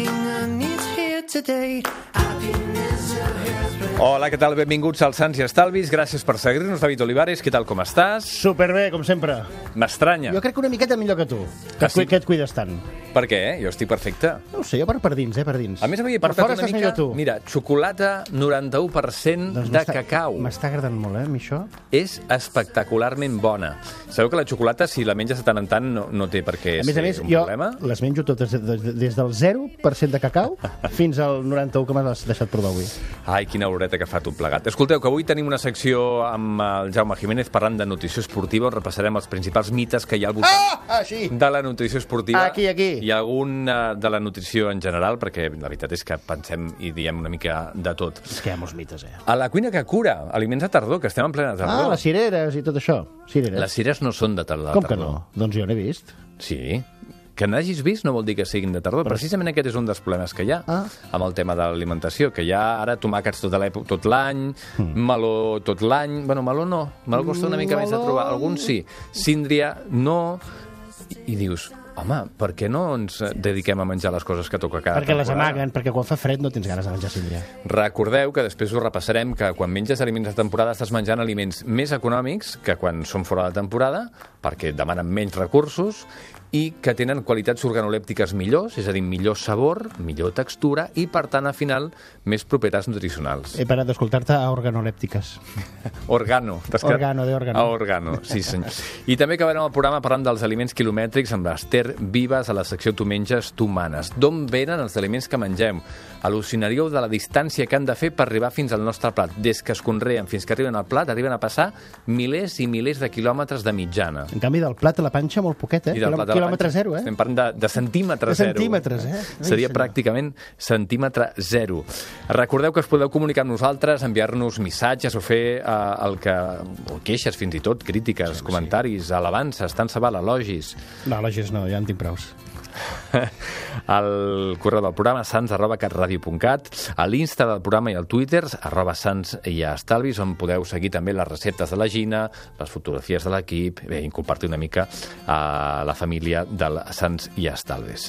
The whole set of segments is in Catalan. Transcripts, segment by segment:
everything I need here today. Happiness, your hairspray. Hola, què tal? Benvinguts als Sants i Estalvis. Gràcies per seguir-nos. David Olivares, què tal, com estàs? Superbé, com sempre. M'estranya. Jo crec que una miqueta millor que tu, sí? que et cuides tant. Per què? Jo estic perfecte. No ho sé, jo per dins, per dins. A més, havia per portat fora una estàs mica... millor tu. Mira, xocolata 91% de cacau. M'està agradant molt, a mi això. És espectacularment bona. Sabeu que la xocolata, si la menges de tant en tant, no té per què ser un problema? Jo les menjo totes des del 0% de cacau fins al 91% que m'has deixat provar avui. Ai, quina horeta que fa tot plegat. Escolteu, que avui tenim una secció amb el Jaume Jiménez parlant de nutrició esportiva. Repassarem els principals mites que hi ha al voltant de la nutrició esportiva. Aquí. I algun de la nutrició en general, perquè la veritat és que pensem i diem una mica de tot. És que hi ha molts mites, A la cuina que cura, aliments de tardor, que estem en plena tardor. les cireres i tot això. Cireres. Les cireres no són de tardor. Com que no? Doncs jo n'he vist. Sí. Que n'hagis vist no vol dir que siguin de tardor. Precisament aquest és un dels problemes que hi ha amb el tema de l'alimentació, que hi ha ara tomàquets tot l'any, meló tot l'any... Bueno, meló no. Meló costa una mica més de trobar. Alguns sí. Síndria, no. I dius... Home, per què no ens dediquem a menjar les coses que toca cada Perquè les amaguen, perquè quan fa fred no tens ganes de menjar síndria. Recordeu que després us repassarem que quan menges aliments de temporada estàs menjant aliments més econòmics que quan són fora de temporada, perquè demanen menys recursos i que tenen qualitats organolèptiques millors, és a dir, millor sabor, millor textura i, per tant, al final, més propietats nutricionals. He parat d'escoltar-te a organolèptiques. Organo. Organo, de organo. A organo, sí senyor. I també acabarem el programa parlant dels aliments quilomètrics amb l'Ester Vives a la secció Tu menges, tu manes. D'on venen els aliments que mengem? Al·lucinaríeu de la distància que han de fer per arribar fins al nostre plat. Des que es conreen fins que arriben al plat, arriben a passar milers i milers de quilòmetres de mitjana. En canvi, del plat a la panxa molt poquet, I del plat a la quilòmetre panxa. zero, Estem parlant de centímetre zero. De centímetres, Seria pràcticament centímetre zero. Recordeu que us podeu comunicar amb nosaltres, enviar-nos missatges o fer o queixes, fins i tot, crítiques, comentaris, alabances, tant se val, elogis. No, elogis no, ja en tinc prous. El correu del programa sans@catradio.cat, a l'Insta del programa i al Twitter @sans-i-estalvis, on podeu seguir també les receptes de la Gina, les fotografies de l'equip i compartir una mica a la família del Sants i Estalvis.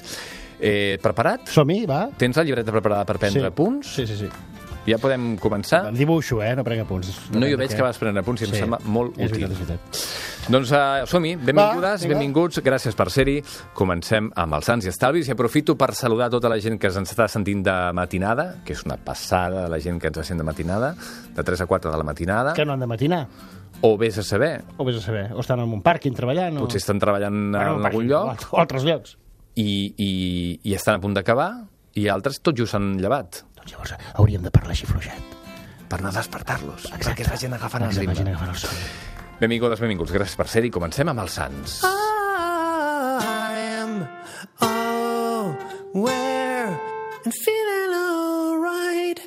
Preparat? Som-hi, va. Tens la llibreta preparada per prendre punts? Sí. Ja podem començar? Em dibuixo, no prenc apunts. No, jo veig que vas prendre punts i em sembla molt útil. És veritat. Doncs som-hi, benvingudes, benvinguts, gràcies per ser-hi. Comencem amb els Sants i Estalvis i aprofito per saludar tota la gent que ens està sentint de matinada, que és una passada la gent que ens sent de matinada, de 3 a 4 de la matinada. Que no han de matinar. O vés a saber. O estan en un pàrquing treballant. Potser estan treballant en algun lloc. O altres llocs. I estan a punt d'acabar i altres tot just s'han llevat. Doncs llavors hauríem de parlar així fluixet. Per no despertar-los, perquè es vagin agafant el ritme. Benvingudes, benvinguts, gràcies per ser-hi. Comencem amb els Sants. I am aware and feeling alright.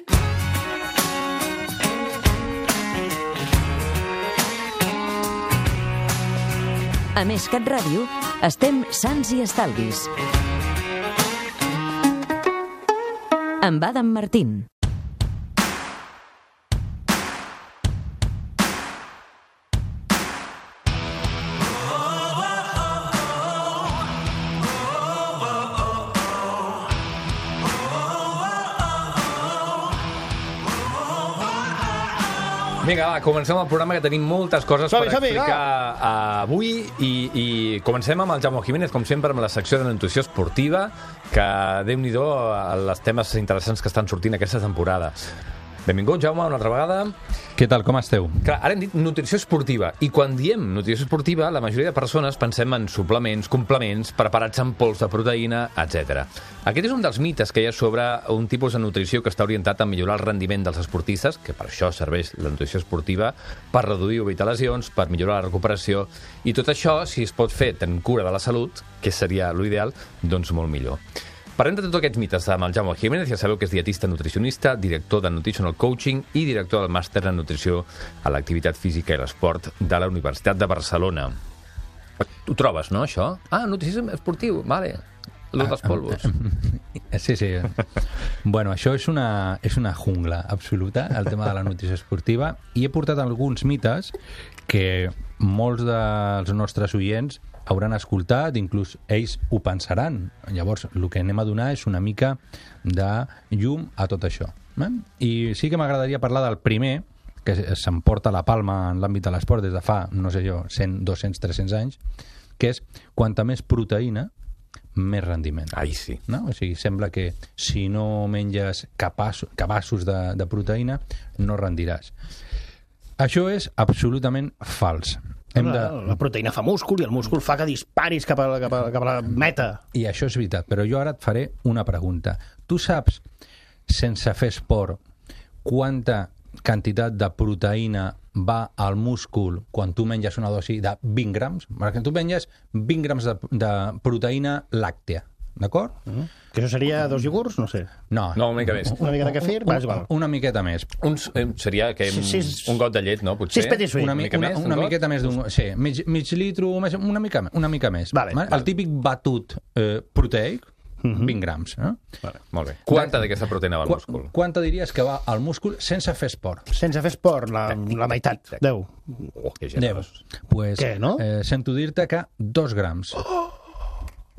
A Més Cat Ràdio, estem Sants i Estalvis. Amb Adam Martín. Vinga, va, comencem el programa, que tenim moltes coses per explicar avui i comencem amb el Jaume Jiménez, com sempre, amb la secció de nutrició esportiva, que, Déu-n'hi-do, els temes interessants que estan sortint aquesta temporada. Benvingut, Jaume, una altra vegada. Què tal, com esteu? Clar, ara hem dit nutrició esportiva, i quan diem nutrició esportiva, la majoria de persones pensem en suplements, complements, preparats en pols de proteïna, etc. Aquest és un dels mites que hi ha sobre un tipus de nutrició que està orientat a millorar el rendiment dels esportistes, que per això serveix la nutrició esportiva, per reduir o evitar lesions, per millorar la recuperació, i tot això, si es pot fer tenint cura de la salut, que seria l'ideal, doncs molt millor. Parlem de tots aquests mites amb el Jaume Jiménez. Ja sabeu que és dietista nutricionista, director de Nutritional Coaching i director del màster en nutrició a l'activitat física i l'esport de la Universitat de Barcelona. Ho trobes, no, això? Nutrició esportiu, vale. Lo dels polvos. Sí. Bueno, això és una jungla absoluta, el tema de la nutrició esportiva, i he portat alguns mites que molts dels nostres oients hauran escoltat, inclús ells ho pensaran. Llavors, el que anem a donar és una mica de llum a tot això. I sí que m'agradaria parlar del primer, que s'emporta la palma en l'àmbit de l'esport des de fa, no sé jo, 100, 200, 300 anys, que és quanta més proteïna, més rendiment. Ai, sí. No? O sigui, sembla que si no menges cabassos de proteïna, no rendiràs. Això és absolutament fals. La proteïna fa múscul i el múscul fa que disparis cap a la meta. I això és veritat, però jo ara et faré una pregunta. Tu saps, sense fer esport, quanta quantitat de proteïna va al múscul quan tu menges una dosi de 20 grams? Perquè tu menges 20 grams de proteïna làctea, d'acord? Que això seria 2 iogurts? No sé. No, una mica més. Una mica de kefir? Una miqueta més. Seria que un got de llet, no? Potser? 6 petit suïts. Una miqueta més d'un... Sí, mig litro, una mica més. Vale. El típic batut proteic, 20 grams. Vale, molt bé. Quanta d'aquesta proteïna va al múscul? Quanta diries que va al múscul sense fer esport? Sense fer esport, la meitat. 10. Que generós. Pues, què, no? Sento dir-te que 2 grams.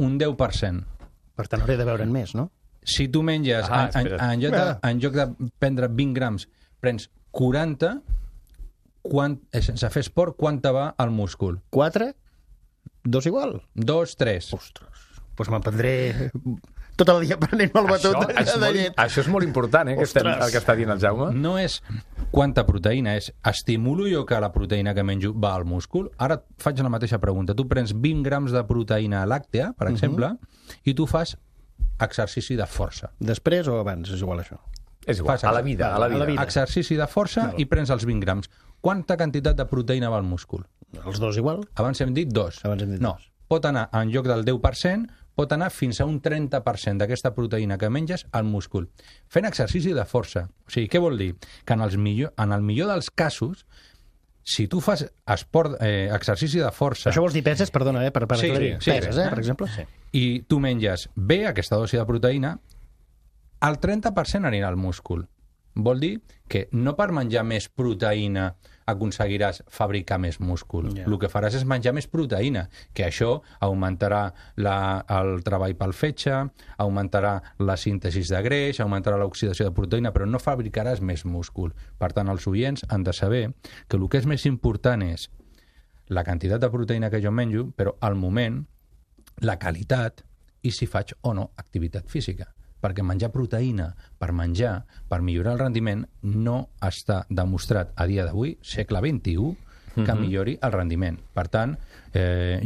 Un 10%. Per tant, hauria de veure'n més, no? Si tu menges, en lloc de prendre 20 grams, prens 40, sense fer esport, quanta va al múscul? 4? 2 igual? 2, 3. Ostres. Doncs me'n prendré tot el dia prenent-me el batut de llet. Això és molt important, el que està dient el Jaume. No és quanta proteïna, és estimulo jo que la proteïna que menjo va al múscul? Ara et faig la mateixa pregunta. Tu prens 20 grams de proteïna làctea, per exemple, i tu fas exercici de força. Després o abans? És igual això. És igual, a la vida. Exercici de força i prens els 20 grams. Quanta quantitat de proteïna va al múscul? Els 2 igual? Abans hem dit 2. No, pot anar en lloc del 10%, pot anar fins a un 30% d'aquesta proteïna que menges al múscul. Fent exercici de força. O sigui, què vol dir? Que en el millor dels casos, si tu fas exercici de força... Això vols dir peses? Perdona, per aclarir. Peses, per exemple? Sí. I tu menges bé aquesta dosi de proteïna, el 30% anirà al múscul. Vol dir que no per menjar més proteïna aconseguiràs fabricar més múscul. Yeah. El que faràs és menjar més proteïna, que això augmentarà el treball pel fetge, augmentarà la síntesi de greix, augmentarà l'oxidació de proteïna, però no fabricaràs més múscul. Per tant, els oients han de saber que el que és més important és la quantitat de proteïna que jo menjo, però al moment, la qualitat i si faig o no activitat física. Perquè menjar proteïna per menjar, per millorar el rendiment, no està demostrat a dia d'avui, segle XXI, que millori el rendiment. Per tant,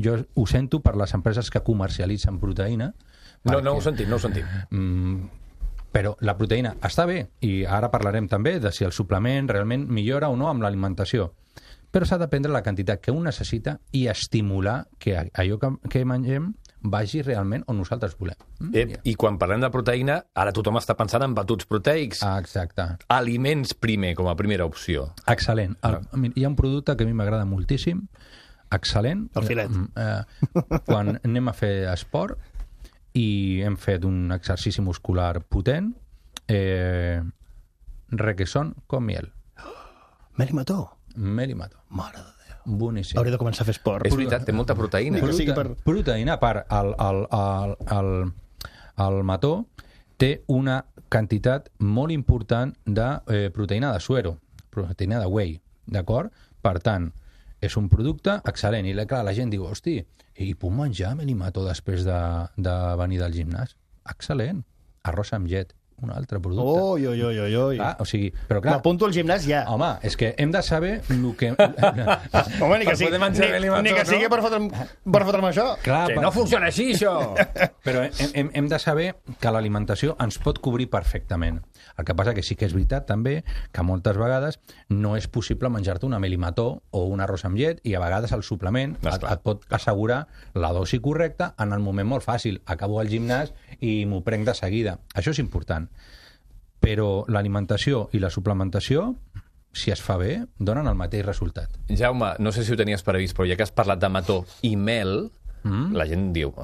jo ho sento per les empreses que comercialitzen proteïna. No ho sentim. Però la proteïna està bé, i ara parlarem també de si el suplement realment millora o no amb l'alimentació. Però s'ha de prendre la quantitat que un necessita i estimular que allò que mengem vagi realment on nosaltres volem. I quan parlem de proteïna, ara tothom està pensant en batuts proteics. Exacte. Aliments primer, com a primera opció. Excel·lent. Hi ha un producte que a mi m'agrada moltíssim, excel·lent. El filet. Quan anem a fer esport i hem fet un exercici muscular potent, requesón con miel. Melimató. Mare de Déu. Boníssim. Hauria de començar a fer esport. És veritat, té molta proteïna. Proteïna, a part, el mató té una quantitat molt important de proteïna de suero, proteïna de whey, d'acord? Per tant, és un producte excel·lent. I clar, la gent diu, hosti, i puc menjar melimató després de venir del gimnàs? Excel·lent. Arròs amb llet. Un altre producte. Oi. Clar, o sigui, però clar... M'apunto al gimnàs ja. Home, és que hem de saber el que... Home, ni que sigui per fotre'm això. Clar, que no funciona així, això! Però hem de saber que l'alimentació ens pot cobrir perfectament. El que passa que sí que és veritat també que moltes vegades no és possible menjar-te una melimató o un arròs amb llet i a vegades el suplement et pot assegurar la dosi correcta en el moment molt fàcil. Acabo al gimnàs i m'ho prenc de seguida. Això és important. Però l'alimentació i la suplementació, si es fa bé, donen el mateix resultat. Jaume, no sé si ho tenies previst, però ja que has parlat de mató i mel, la gent diu,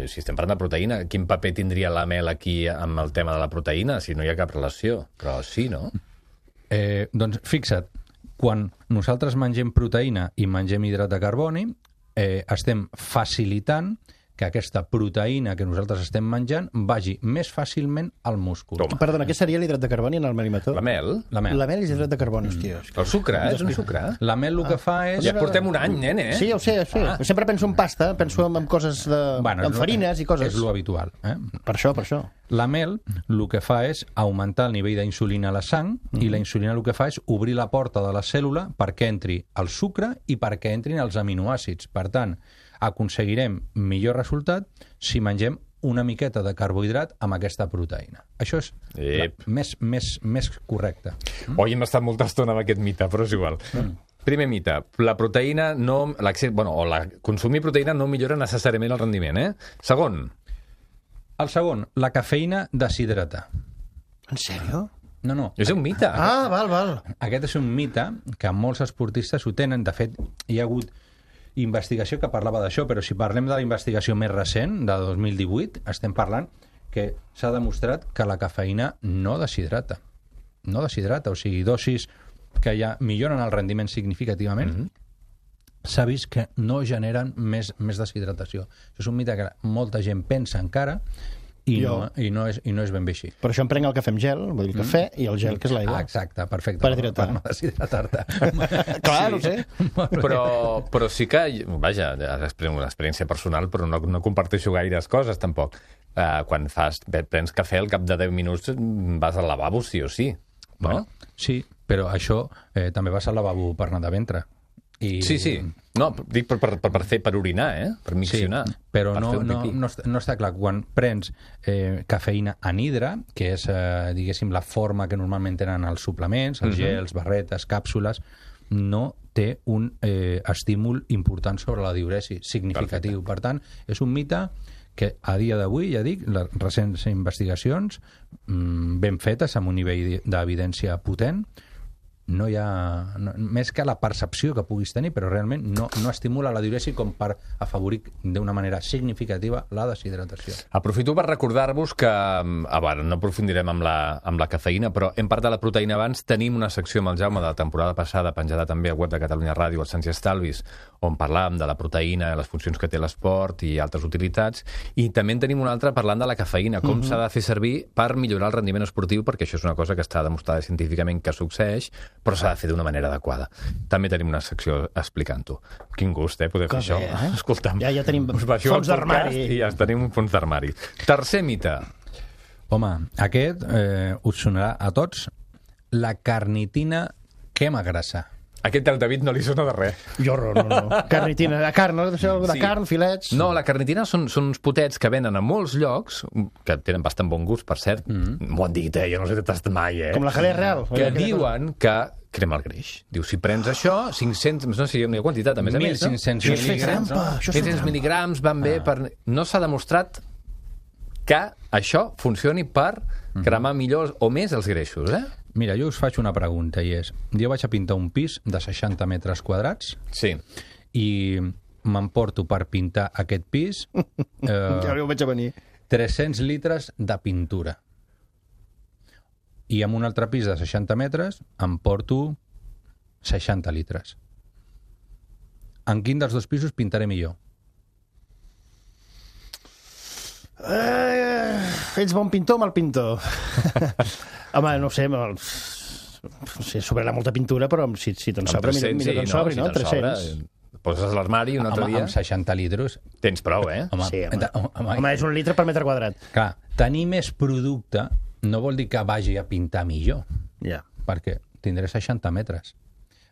si estem parlant de proteïna, quin paper tindria la mel aquí amb el tema de la proteïna, si no hi ha cap relació? Però sí, no? Doncs fixa't, quan nosaltres mengem proteïna i mengem hidrat de carboni, estem facilitant que aquesta proteïna que nosaltres estem menjant vagi més fàcilment al múscul. Toma. Perdona, què seria l'hidrat de carboni en el melimetó? La mel? La mel. La mel és hidrat de carboni, hòstia. El sucre, és un sucre. La mel el que fa és... Ja portem un any, nene, Sí, ho sé. Sempre penso en pasta, penso en coses en farines i coses. És lo habitual. Per això. La mel el que fa és augmentar el nivell d'insulina a la sang i la insulina el que fa és obrir la porta de la cèl·lula perquè entri el sucre i perquè entrin els aminoàcids. Per tant, aconseguirem millor resultat si mengem una miqueta de carbohidrat amb aquesta proteïna. Això és més correcte. Oi, hem estat molta estona amb aquest mite, però és igual. Primer mite, la proteïna no... consumir proteïna no millora necessàriament el rendiment, Segon. El segon, la cafeïna deshidrata. En sèrio? No. És un mite. Val. Aquest és un mite que molts esportistes ho tenen. De fet, hi ha hagut investigació que parlava d'això, però si parlem de la investigació més recent, de 2018, estem parlant que s'ha demostrat que la cafeïna no deshidrata. No deshidrata, o sigui, dosis que ja milloren el rendiment significativament, s'ha vist que no generen més deshidratació. Això és un mite que molta gent pensa encara i no és ben bé així. Per això em prenc el cafè amb gel, vull dir el cafè, i el gel, que és l'aigua. Exacte, perfecte. Per hidratar. Per no deshidratar-te. Clar, no ho sé. Però sí que, vaja, és una experiència personal, però no comparteixo gaires coses, tampoc. Quan prens cafè, al cap de 10 minuts vas al lavabo, sí o sí. No? Sí, però això també vas al lavabo per anar de ventre. Sí. No, dic per orinar, per miccionar. Sí, però no està clar. Quan prens cafeïna anhidra, que és, diguéssim, la forma que normalment tenen els suplements, els gels, barretes, càpsules, no té un estímul important sobre la diüresi significatiu. Per tant, és un mite que a dia d'avui, ja dic, les recents investigacions ben fetes amb un nivell d'evidència potent, no hi ha... més que la percepció que puguis tenir, però realment no estimula la diüresi com per afavorir d'una manera significativa la deshidratació. Aprofito per recordar-vos que, no aprofundirem amb la cafeïna, però hem parlat de la proteïna abans, tenim una secció amb el Jaume de la temporada passada, penjada també al web de Catalunya Ràdio, al Sants i Estalvis, on parlàvem de la proteïna, les funcions que té l'esport i altres utilitats, i també en tenim una altra parlant de la cafeïna, com s'ha de fer servir per millorar el rendiment esportiu, perquè això és una cosa que està demostrada científicament que succeeix, però s'ha de fer d'una manera adequada. També tenim una secció explicant-ho. Quin gust, poder fer això. Escolta'm. Ja tenim fons d'armari. I ja tenim un fons d'armari. Tercer mite. Home, aquest us sonarà a tots. La carnitina quema grassa. Aquest al David no li sona de res. Jo no. Carnitina, de carn, no? De carn, filets... No, la carnitina són uns potets que venen a molts llocs, que tenen bastant bon gust, per cert. M'ho han dit, jo no sé si t'has tastat mai, Com la jalea real. Que diuen que crema el greix. Diu, si prens això, 500... No sé si hi ha una quantitat, a més a més. 1.500 mil·lígrams. 500 mil·lígrams van bé per... No s'ha demostrat que això funcioni per cremar millor o més els greixos, Mira, jo us faig una pregunta, i és... Jo vaig a pintar un pis de 60 metres quadrats. Sí. I m'emporto per pintar aquest pis... Ja ho veig a venir. 300 litres de pintura. I amb un altre pis de 60 metres em porto 60 litres. En quin dels dos pisos pintaré millor? Ets bon pintor o mal pintor? Home, no sé, sobrarà molta pintura, però si te'n sobra, millor que en sobri, no? 300. Poses a l'armari un altre dia... Amb 60 litres... Tens prou, Home, sí, home, és 1 litre per metre quadrat. Clar, tenir més producte no vol dir que vagi a pintar millor. Ja. Perquè tindré 60 metres.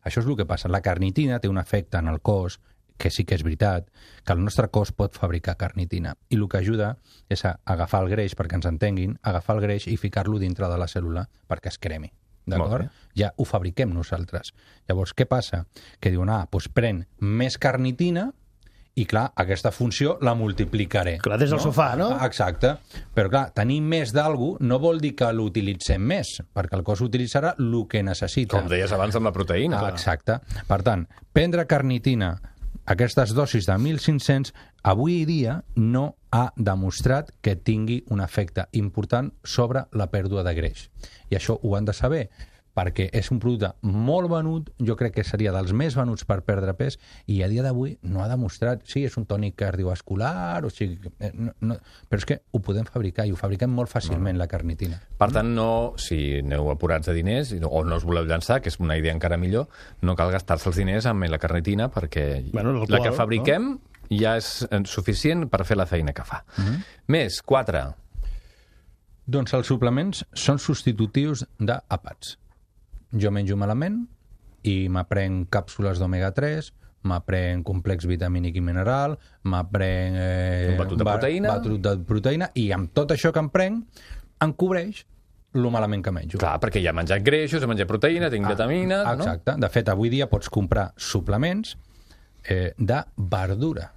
Això és el que passa. La carnitina té un efecte en el cos, que sí que és veritat, que el nostre cos pot fabricar carnitina. I el que ajuda és a agafar el greix, perquè ens entenguin, agafar el greix i ficar-lo dintre de la cèl·lula perquè es cremi. D'acord? Ja ho fabriquem nosaltres. Llavors, què passa? Que diuen, doncs pren més carnitina i, clar, aquesta funció la multiplicaré. Clar, des del sofà, no? Exacte. Però, clar, tenir més d'algú no vol dir que l'utilitzem més, perquè el cos utilitzarà el que necessita. Com deies abans amb la proteïna. Exacte. Per tant, prendre carnitina, aquestes dosis de 1.500, avui dia no ha demostrat que tingui un efecte important sobre la pèrdua de greix. I això ho han de saber, perquè és un producte molt venut, jo crec que seria dels més venuts per perdre pes, i a dia d'avui no ha demostrat, sí, és un tònic cardiovascular, o sigui, no, però és que ho podem fabricar, i ho fabriquem molt fàcilment, la carnitina. Per tant, no, si aneu apurats de diners, o no us voleu llançar, que és una idea encara millor, no cal gastar-se els diners amb la carnitina, perquè la que fabriquem ja és suficient per fer la feina que fa. Més, 4. Doncs els suplements són substitutius d'àpats. Jo menjo malament i m'aprenc càpsules d'omega-3, m'aprenc complex vitamínic i mineral, m'aprenc un batut de proteïna, i amb tot això que em prenc em cobreix lo malament que menjo. Clar, perquè ja he menjat greixos, he menjat proteïna, tinc vitamina... Exacte. No? De fet, avui dia pots comprar suplements de verdura.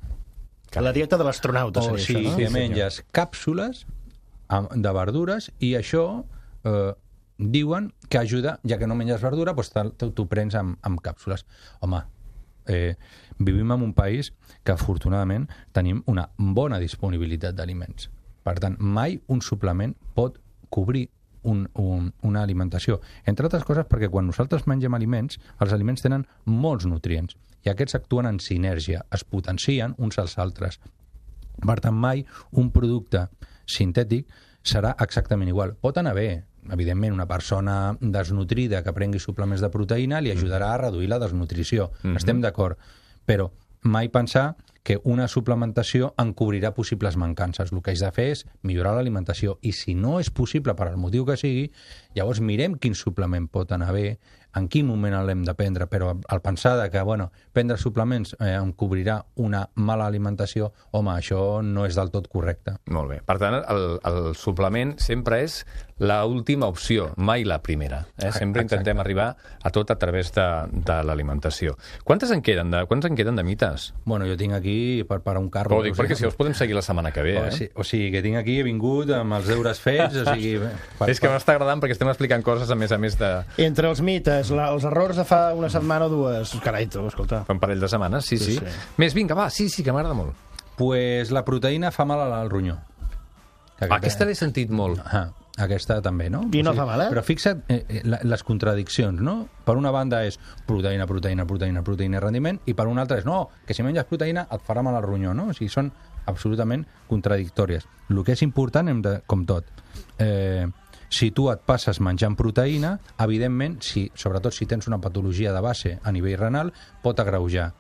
La dieta de l'astronauta seria això, no? O sigui, menges càpsules de verdures, i això diuen que ajuda, ja que no menges verdura, doncs t'ho prens amb càpsules. Home, vivim en un país que afortunadament tenim una bona disponibilitat d'aliments. Per tant, mai un suplement pot cobrir una alimentació. Entre altres coses perquè quan nosaltres mengem aliments, els aliments tenen molts nutrients i aquests actuen en sinergia, es potencien uns als altres. Per tant, mai un producte sintètic serà exactament igual. Pot anar bé. Evidentment, una persona desnutrida que prengui suplements de proteïna li ajudarà a reduir la desnutrició. Estem d'acord. Però mai pensar que una suplementació en cobrirà possibles mancances. El que has de fer és millorar l'alimentació. I si no és possible, per al motiu que sigui, llavors mirem quin suplement pot anar bé, en quin moment l'hem de prendre, però al pensar que prendre suplements em cobrirà una mala alimentació, home, això no és del tot correcte. Molt bé. Per tant, el suplement sempre és l'última opció, mai la primera. Sempre intentem arribar a tot a través de l'alimentació. Quants en queden de mites? Bueno, jo tinc aquí per un carro. Ho dic perquè si els podem seguir la setmana que ve. O sigui, que tinc aquí, he vingut amb els deures fets, o sigui... És que m'està agradant perquè estem explicant coses a més de... Entre els mites, els errors de fa una setmana o dues. Carai, tu, escolta. Fa un parell de setmanes, sí. Més, vinga, va, sí, que m'agrada molt. Pues la proteïna fa mal al ronyó. Aquesta l'he sentit molt. Aquesta també, no? I no fa mal, Però fixa't les contradiccions, no? Per una banda és proteïna i rendiment, i per una altra és, no, que si menges proteïna et farà mal al ronyó, no? O sigui, són absolutament contradictòries. El que és important, com tot, si tu et passes menjant proteïna, evidentment, sobretot si tens una patologia de base a nivell renal, pot agreujar.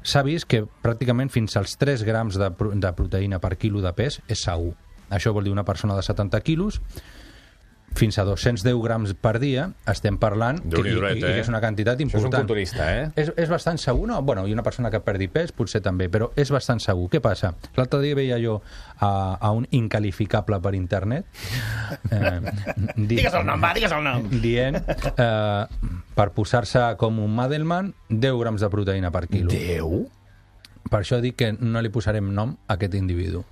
S'ha vist que pràcticament fins als 3 grams de proteïna per quilo de pes és segur. Això vol dir una persona de 70 quilos, fins a 210 grams per dia, estem parlant, que és una quantitat important. Això és un culturista, És bastant segur, no? Bueno, i una persona que perdi pes potser també, però és bastant segur. Què passa? L'altre dia veia jo a un incalificable per internet digues el nom, dient per posar-se com un Madelman 10 grams de proteïna per quilo. 10? Per això dic que no li posarem nom a aquest individu.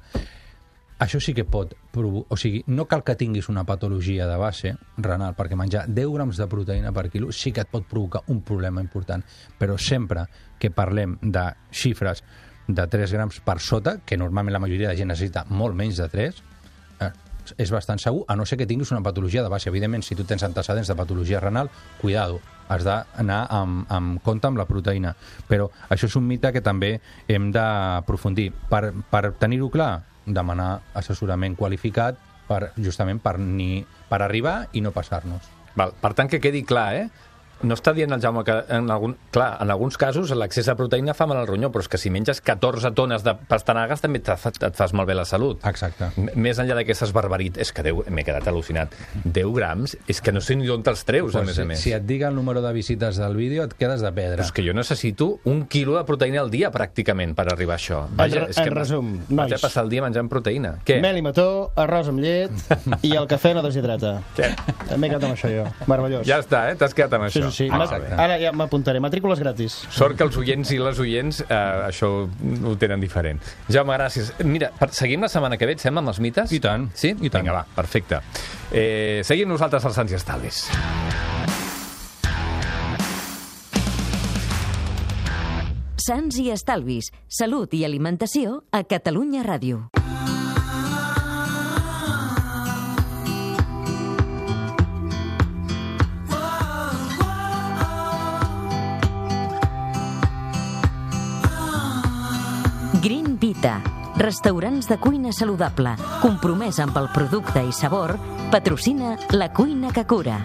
Això sí que pot provocar... O sigui, no cal que tinguis una patologia de base renal, perquè menjar 10 grams de proteïna per quilo sí que et pot provocar un problema important. Però sempre que parlem de xifres de 3 grams per sota, que normalment la majoria de gent necessita molt menys de 3, és bastant segur, a no ser que tinguis una patologia de base. Evidentment, si tu tens antecedents de patologia renal, cuidado, has d'anar amb compte amb la proteïna. Però això és un mite que també hem d'aprofundir. Per tenir-ho clar, demanar assessorament qualificat justament per arribar i no passar-nos. Per tant, que quedi clar, no està dient el Jaume que en alguns casos l'accés a proteïna fa mal al ronyó, però és que si menges 14 tones de pastanagues també et fas malbé la salut. Exacte. Més enllà d'aquestes barbaritats, és que m'he quedat al·lucinat. 10 grams, és que no sé ni d'on te'ls treus, a més a més. Si et diga el número de visites del vídeo, et quedes de pedra. Però és que jo necessito 1 quilo de proteïna al dia, pràcticament, per arribar a això. En resum, nois. Vaig a passar el dia menjant proteïna. Què? Mel i mató, arròs amb llet i el cafè no deshidrata. Què? M'he quedat amb això, jo. Meravellós. Ja està, t'has quedat amb això. Sí. Ara ja m'apuntaré. Matrícules gratis. Sort que els oients i les oients això ho tenen diferent. Jaume, gràcies. Mira, seguim la setmana que ve, et sembla, amb els mites? I tant. Sí? I tant. Vinga, va, perfecte. Seguim nosaltres als Sants i Estalvis. Sants i Estalvis. Salut i alimentació a Catalunya Ràdio. Vita. Restaurants de cuina saludable, compromès amb el producte i sabor, patrocina La Cuina que Cura.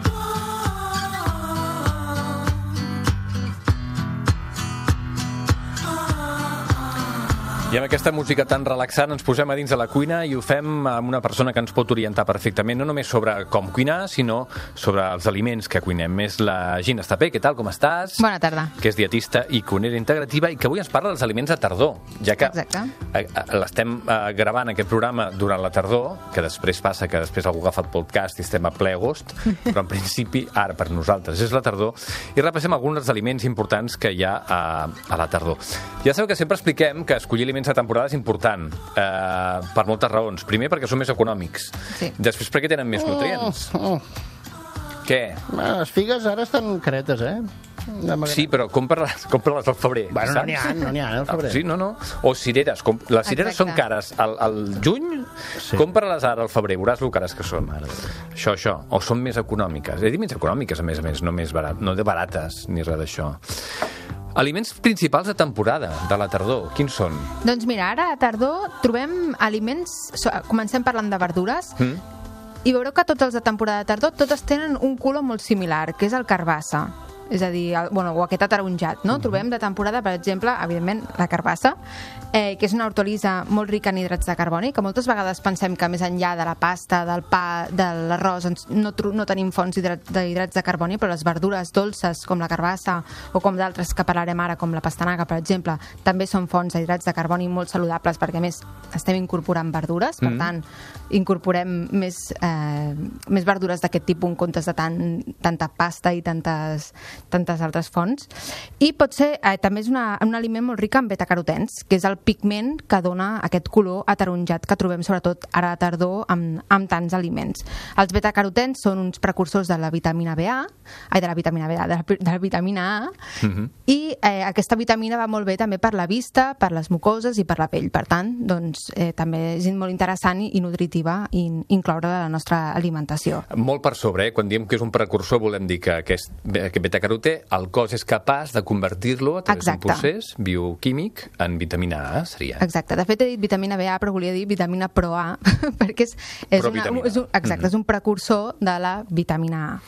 I amb aquesta música tan relaxant ens posem a dins de la cuina i ho fem amb una persona que ens pot orientar perfectament, no només sobre com cuinar, sinó sobre els aliments que cuinem. És la Gina Estapé. Què tal, com estàs? Bona tarda. Que és dietista i cuinera integrativa i que avui ens parla dels aliments de tardor, ja que l'estem gravant aquest programa durant la tardor, que després passa que després algú agafa el podcast i estem a ple agost, però en principi ara per nosaltres és la tardor, i repassem alguns dels aliments importants que hi ha a la tardor. Ja sabeu que sempre expliquem que escollir aliments de temporada és important, per moltes raons. Primer, perquè són més econòmics. Sí. Després, perquè tenen més nutrients. Què? Les figues ara estan caretes, Sí, però compra-les al febrer. Bueno, no n'hi ha al febrer. Sí, no. O cireres. Les cireres són cares al juny, compra-les ara al febrer, veuràs lo cares que són. Això. O són més econòmiques. He dit més econòmiques, a més, no més barat, no de barates, ni res d'això. Aliments principals de temporada, de la tardor, quins són? Doncs mira, ara a tardor trobem aliments... Comencem parlant de verdures, i veureu que tots els de temporada de tardor totes tenen un color molt similar, que és el carbassa. És a dir, o aquest ataronjat, no? Trobem de temporada, per exemple, evidentment, la carbassa, que és una hortolissa molt rica en hidrats de carboni, que moltes vegades pensem que més enllà de la pasta, del pa, de l'arròs, no tenim fonts d'hidrats de carboni, però les verdures dolces, com la carbassa, o com d'altres que parlarem ara, com la pastanaga, per exemple, també són fonts d'hidrats de carboni molt saludables, perquè a més estem incorporant verdures, per tant, incorporem més verdures d'aquest tipus en comptes de tanta pasta i tantes altres fonts. I pot ser, també és un aliment molt ric en betacarotens, que és el pigment que dona aquest color ataronjat que trobem sobretot ara a tardor amb tants aliments. Els betacarotens són uns precursors de la vitamina A, de la vitamina A, i aquesta vitamina va molt bé també per la vista, per les mucoses i per la pell. Per tant, doncs, també és molt interessant i nutritiva incloure a la nostra alimentació. Molt per sobre, quan diem que és un precursor volem dir que aquest betacarotè el cos és capaç de convertir-lo a través d'un procés bioquímic en vitamina A, seria. Exacte. De fet, he dit vitamina BA, però volia dir vitamina Pro-A, perquè és un precursor de la vitamina A.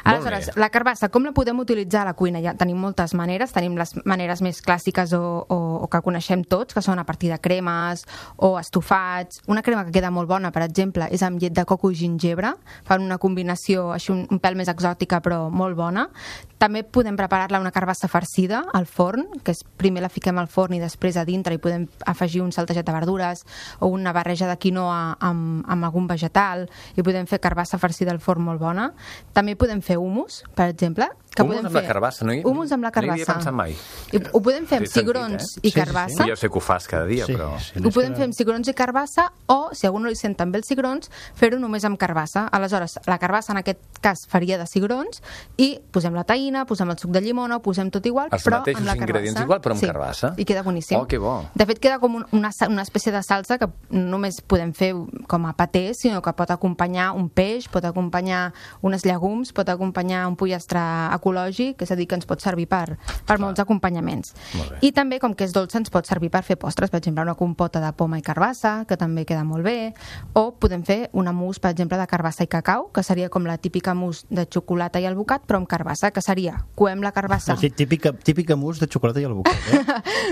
Aleshores, la carbassa, com la podem utilitzar a la cuina? Ja tenim moltes maneres. Tenim les maneres més clàssiques o que coneixem tots, que són a partir de cremes o estofats. Una crema que queda molt bona, per exemple, és amb llet de coco i gingebre. Fan una combinació així un pèl més exòtica, però molt bona. També podem preparar-la una carbassa farcida al forn, que és primer la fiquem al forn i després a dintre hi podem afegir un saltejat de verdures o una barreja de quinoa amb algun vegetal, i podem fer carbassa farcida al forn molt bona. També podem fer hummus, per exemple. Hummus amb la carbassa, no? Hummus amb la carbassa. No hi havia pensat mai. Ho podem fer amb cigrons i carbassa. Ja sé que ho fas cada dia, però... Ho podem fer amb cigrons i carbassa, o, si algú no li sent també els cigrons, fer-ho només amb carbassa. Aleshores, la carbassa en aquest cas faria de cigrons i posem la taïna, posem el suc de llimona, ho posem tot igual, però amb la carbassa. Els mateixos ingredients igual, però amb carbassa. I queda boníssim. Oh, que bo. De fet, queda com una espècie de salsa que no només podem fer com a paté, sinó que pot acompanyar un peix, pot acompanyar uns llegums, pot acompanyar un pollastre ecològic, és a dir, que ens pot servir per molts acompanyaments. I també, com que és dolça, ens pot servir per fer postres, per exemple, una compota de poma i carbassa, que també queda molt bé, o podem fer una mousse, per exemple, de carbassa i cacau, que seria com la típica mousse de xocolata i albocat, però amb carbassa, que seria, coem la carbassa... Sí, típica mousse de xocolata i albocat,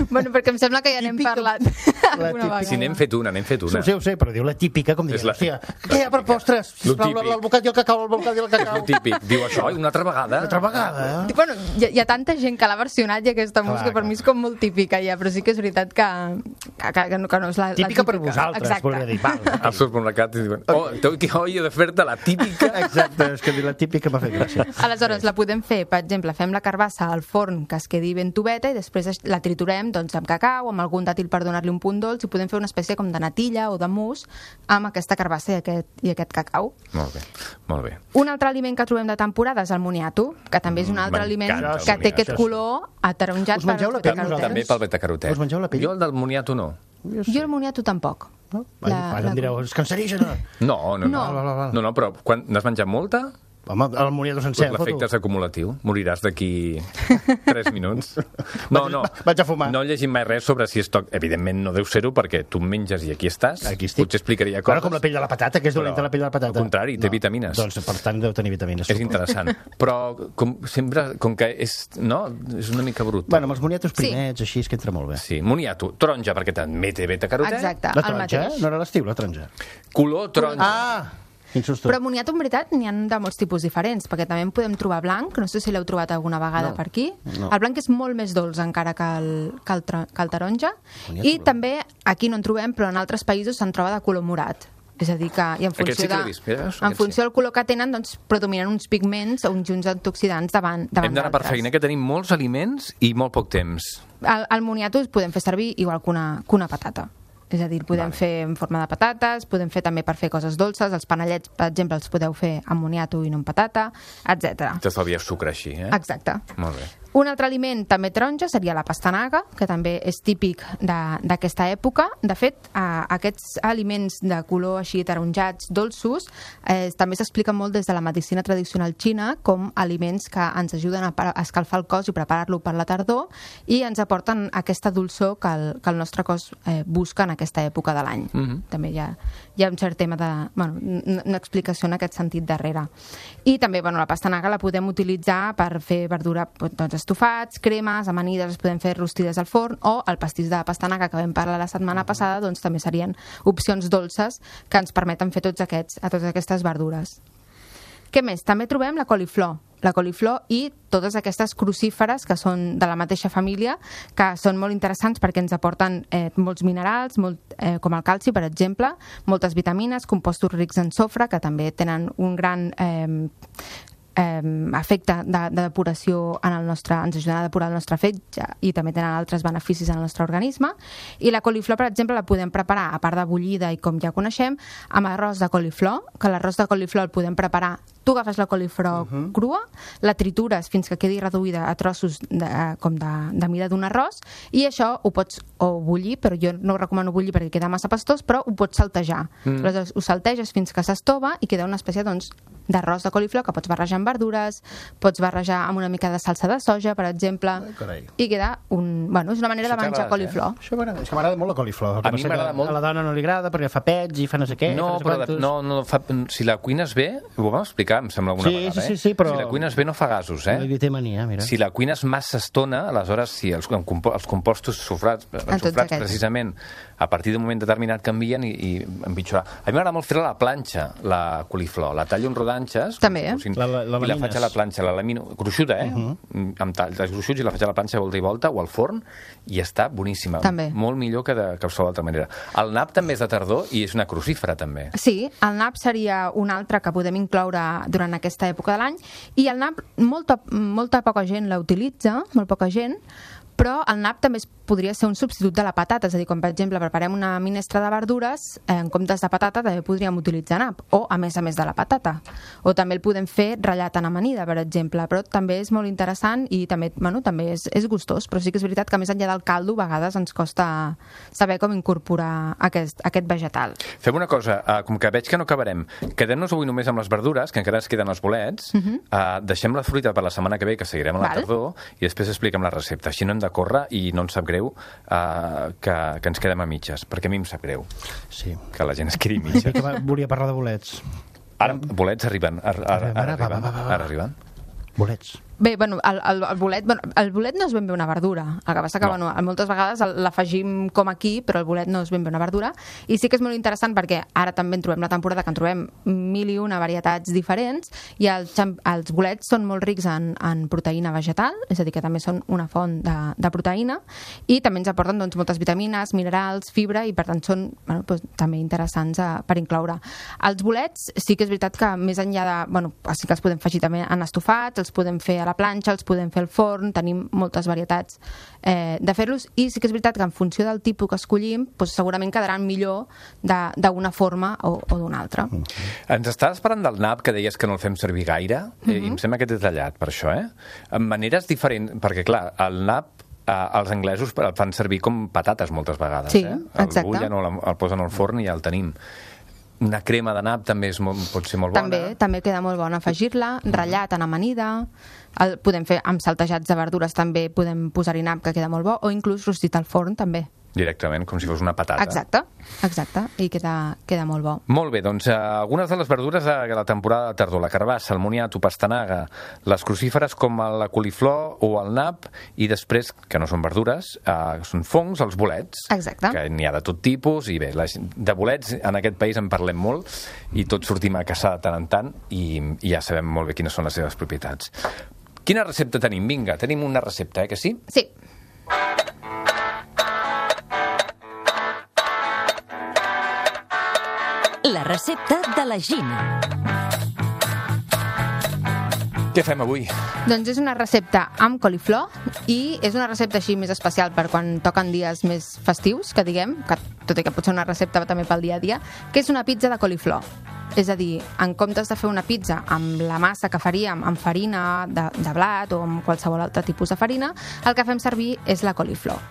Bueno, perquè em sembla que ja n'hem parlat alguna vegada. Sí, n'hem fet una. Ho sé, però diu la típica, com diguem, hòstia, què hi ha per postres? Sisplau, l'albocat i el cacau, És el típic. Diu això, i una altra vegada. Bueno, hi ha tanta gent que l'ha versionat i aquesta música per mi és com molt típica ja, però sí que és veritat que no és la típica. Per vosaltres, volia dir. Els supermercats diuen, he de fer-te la típica. Exacte, és que la típica m'ha fet gràcia. Aleshores, la podem fer, per exemple, fem la carbassa al forn que es quedi ben tubeta i després la triturem doncs, amb cacau, amb algun dàtil per donar-li un punt dolç, i podem fer una espècie com de natilla o de mousse amb aquesta carbassa i aquest cacau. Molt bé. Un altre aliment que trobem de temporada és el moniato, que també és un altre aliment que té aquest color ataronjat per als betacarotens. També pel betacarotè. Us mengeu la pell? Jo el del moniato no. Jo el moniato tampoc. Ara em direu, és cancerígena. No, però n'has menjat molta? Home, el moniato sencer, L'efecte és acumulatiu. Moriràs d'aquí 3 minuts. Vaig a fumar. No llegim mai res sobre si és toc. Evidentment no deu ser-ho, perquè tu em menges i aquí estàs. Aquí estic. Potser explicaria coses. Bueno, com la pell de la patata, que és dolenta la pell de la patata. Al contrari, té vitamines. Doncs, per tant, deu tenir vitamines. És interessant. Però, com que és, no? És una mica brut. Bueno, amb els moniatos primets, així és que entra molt bé. Sí, moniato, taronja, perquè també té beta-carotè. Exacte, La el taronja, mateix. no era l'estiu, la taronja. Color taronja. Quin susto. Però moniato, en veritat, n'hi ha de molts tipus diferents, perquè també en podem trobar blanc, no sé si l'heu trobat alguna vegada per aquí. No. El blanc és molt més dolç encara que el taronja. Moniato I també, aquí no en trobem, però en altres països se'n troba de color morat. És a dir, que i en Aquest sí funció, que l'he vist, mira, en funció del color que tenen, doncs, predominen uns pigments o uns junts antioxidants davant Hem d'anar per d'altres. feina, que tenim molts aliments i molt poc temps. El moniato el podem fer servir igual que una patata. És a dir, el podem fer en forma de patates, podem fer també per fer coses dolces, els panellets, per exemple, els podeu fer amb moniato i no amb patata, etc. T'estalvies sucre així, eh? Exacte. Molt bé. Un altre aliment també taronja seria la pastanaga, que també és típic d'aquesta època. De fet, aquests aliments de color així taronjats, dolços, també s'expliquen molt des de la medicina tradicional xina com aliments que ens ajuden a escalfar el cos i preparar-lo per la tardor i ens aporten aquesta dolçor que el nostre cos busca en aquesta època de l'any. També hi ha un cert tema de... Bueno, una explicació en aquest sentit darrere. I també, la pastanaga la podem utilitzar per fer verdura, doncs, estofats, cremes, amanides, es podem fer rostides al forn, o el pastís de pastanaga que vam parlar la setmana passada, doncs també serien opcions dolces que ens permeten fer totes aquestes verdures. Què més? També trobem la coliflor i totes aquestes crucíferes que són de la mateixa família, que són molt interessants perquè ens aporten molts minerals, com el calci, per exemple, moltes vitamines, compostos rics en sofre, que també tenen un gran efecte de depuració en el nostre, ens ajuden a depurar el nostre fetge i també tenen altres beneficis en el nostre organisme. I la coliflor, per exemple, la podem preparar, a part de bullida i com ja coneixem, amb arròs de coliflor, que l'arròs de coliflor el podem preparar. Tu agafes la coliflor crua, la tritures fins que quedi reduïda a trossos com de mida d'un arròs, i això ho pots o bullir, però jo no ho recomano bullir perquè queda massa pastós, però ho pots saltejar. Aleshores, ho salteges fins que s'estova i queda una espècie, doncs, d'arròs de coliflor que pots barrejar amb verdures, pots barrejar amb una mica de salsa de soja, per exemple, i queda és una manera de menjar coliflor. Això m'agrada, és que m'agrada molt la coliflor. A mi m'agrada molt. A la dona no li agrada perquè fa pets i fa no sé què. No, però si la cuines bé, ho vam explicar, em sembla alguna vegada, sí, però... Si la cuines bé no fa gasos, Li té mania, mira. Si la cuines massa estona, aleshores, si els compostos enxofrats precisament, a partir d'un moment determinat canvien i empitjorar. A mi m'agrada molt fer-la a la planxa, la coliflor. La tallo en rodanxes. També, i la faig a la planxa, la lamino, gruixuda, amb talls gruixuts, i la faig a la planxa volta i volta, o al forn, i està boníssima. També. Molt millor que de qualsevol altra manera. El nap també és de tardor i és una crucífera, també. Sí, el nap seria un altre que podem incloure durant aquesta època de l'any, i el nap molta poca gent l'utilitza, molt poca gent, però el nap també podria ser un substitut de la patata, és a dir, quan per exemple preparem una minestra de verdures, en comptes de patata també podríem utilitzar nap, o a més de la patata, o també el podem fer ratllat en amanida, per exemple, però també és molt interessant i també, també és gustós, però sí que és veritat que més enllà del caldo a vegades ens costa saber com incorporar aquest vegetal. Fem una cosa, com que veig que no acabarem, quedem-nos avui només amb les verdures, que encara ens queden els bolets, deixem la fruita per la setmana que ve, que seguirem a la tardor, i després expliquem la recepta, així no hem de córrer i no ens sap greu que ens quedem a mitges, perquè a mi em sap greu que la gent es quedi a mitges. Volia parlar de bolets. Ara bolets arriben. Ara arriben. Bolets. Bé, el bolet no és ben bé una verdura. El que passa que, moltes vegades l'afegim com aquí, però el bolet no és ben bé una verdura. I sí que és molt interessant perquè ara també en trobem la temporada que en trobem 1001 varietats diferents, i els bolets són molt rics en proteïna vegetal, és a dir, que també són una font de proteïna, i també ens aporten moltes vitamines, minerals, fibra, i per tant són també interessants per incloure. Els bolets sí que és veritat que més enllà de... sí que els podem afegir també en estofats, els podem fer a la planxa, els podem fer al forn, tenim moltes varietats de fer-los, i sí que és veritat que en funció del tipus que escollim, segurament quedaran millor d'una forma o d'una altra. Ens estaves parlant del nap, que deies que no el fem servir gaire, i em sembla que t'he tallat per això, en maneres diferents, perquè clar, el nap els anglesos el fan servir com patates moltes vegades. Sí, exacte. El bullen o el posen al forn i ja el tenim. una crema de nap també pot ser molt bona. També queda molt bona afegir-la, ratllat en amanida, podem fer amb saltejats de verdures, també podem posar-hi nap, que queda molt bo, o inclús rostit al forn, també. Directament, com si fos una patata. Exacte, i queda molt bo. Molt bé, doncs algunes de les verdures de la temporada de tardor, la carbassa, el moniato, pastanaga, les crucíferes com la coliflor o el nap, i després, que no són verdures, són fongs, els bolets. Exacte. Que n'hi ha de tot tipus, i bé, de bolets en aquest país en parlem molt, i tots sortim a caçar de tant en tant, i ja sabem molt bé quines són les seves propietats. Quina recepta tenim? Vinga, tenim una recepta, que sí? Sí. La recepta de la Gina. Què fem avui? Doncs és una recepta amb coliflor i és una recepta així més especial per quan toquen dies més festius, que diguem, que tot i que pot ser una recepta també pel dia a dia, que és una pizza de coliflor. És a dir, en comptes de fer una pizza amb la massa que faríem amb farina de blat o amb qualsevol altre tipus de farina, el que fem servir és la coliflor.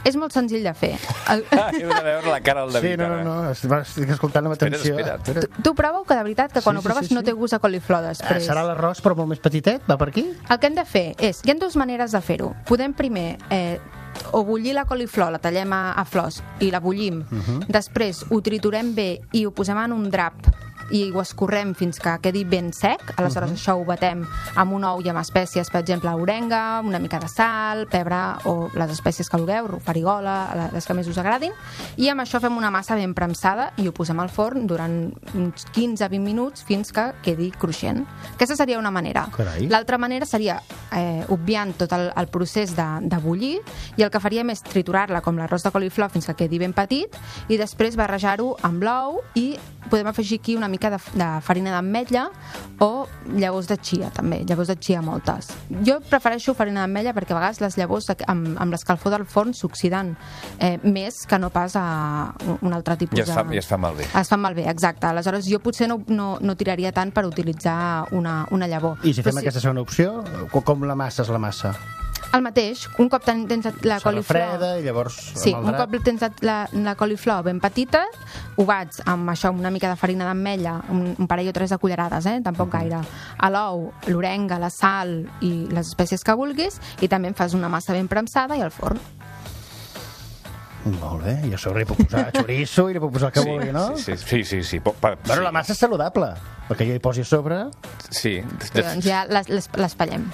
És molt senzill de fer. Heu de veure la cara del David. Sí, no, estic escoltant amb atenció. Espera. Tu prova-ho, que de veritat que quan ho proves no té gust a coliflor després. Serà l'arròs però molt més petitet? Va per aquí? El que hem de fer és... Hi ha dues maneres de fer-ho. Podem primer o bullir la coliflor, la tallem a flors i la bullim. Després ho triturem bé i ho posem en un drap i ho escorrem fins que quedi ben sec. Aleshores això ho batem amb un ou i amb espècies, per exemple, orenga, una mica de sal, pebre o les espècies que vulgueu, farigola, les que més us agradin, i amb això fem una massa ben premsada i ho posem al forn durant uns 15-20 minuts fins que quedi cruixent. Aquesta seria una manera. Carai. L'altra manera seria obviant tot el procés de bullir, i el que faríem és triturar-la com l'arròs de coliflor fins que quedi ben petit i després barrejar-ho amb l'ou, i podem afegir aquí una mica de farina d'ametlla o llavors de chia, també. Llavors de chia moltes. Jo prefereixo farina d'ametlla perquè a vegades les llavors amb l'escalfor del forn s'oxiden més que no pas a un altre tipus I es fa malbé. Es fan malbé, exacte. Aleshores jo potser no tiraria tant per utilitzar una llavor. I si fem aquesta segona opció, com la massa és la massa? El mateix, un cop tens la coliflor... freda i llavors... Sí, un cop tens la coliflor ben petita, ho bats amb això, una mica de farina d'ametlla, un parell o 3 de cullerades, tampoc gaire, a l'ou, l'orenga, la sal i les espècies que vulguis, i també en fas una massa ben premsada i al forn. Molt bé, i a sobre hi puc posar xoriço i hi puc posar el que vulgui, no? Sí. Bueno, la massa és saludable, perquè jo hi posi a sobre... Sí. Doncs ja l'espallem.